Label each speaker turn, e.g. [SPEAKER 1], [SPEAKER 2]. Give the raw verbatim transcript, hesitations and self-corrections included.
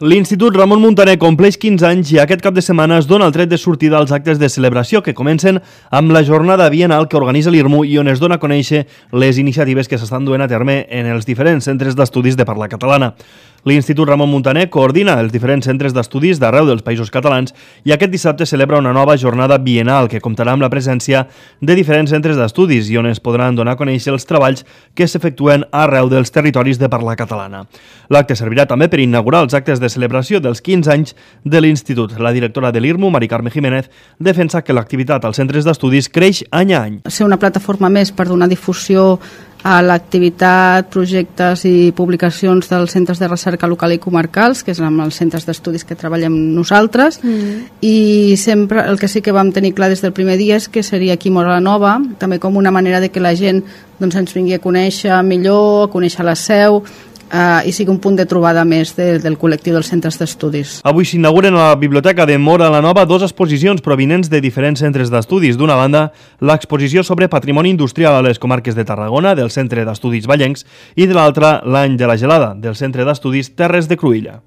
[SPEAKER 1] L'Institut Ramon Muntaner compleix quinze anys i aquest cap de setmana es dona el tret de sortida als actes de celebració que comencen amb la jornada bienal que organitza l'IRMU i on es dona a conèixer les iniciatives que s'estan duent a terme en els diferents centres d'estudis de parla catalana. L'Institut Ramon Muntaner coordina els diferents centres d'estudis d'arreu dels països catalans i aquest dissabte celebra una nova jornada bienal que comptarà amb la presència de diferents centres d'estudis i on es podran donar a conèixer els treballs que s'efectuen arreu dels territoris de parla catalana. L'acte servirà també per inaugurar els actes de celebració dels quinze anys de l'Institut. La directora de l'IRMU, Mari Carme Jiménez, defensa que l'activitat als centres d'estudis creix any a any.
[SPEAKER 2] Ser una plataforma més per donar difusió a l'activitat, projectes i publicacions dels centres de recerca local i comarcals, que és amb els centres d'estudis que treballem nosaltres, mm. i sempre el que sí que vam tenir clar des del primer dia és que seria aquí Móra la Nova, també com una manera de que la gent doncs, ens vingui a conèixer millor, a conèixer la seu, Uh, i sigui un punt de trobada més de, del col·lectiu dels centres d'estudis.
[SPEAKER 1] Avui s'inauguren a la Biblioteca de Móra la Nova dos exposicions provinents de diferents centres d'estudis. D'una banda, l'exposició sobre patrimoni industrial a les comarques de Tarragona, del Centre d'Estudis Vallencs, i de l'altra, l'Any de la Gelada, del Centre d'Estudis Terres de Cruïlla.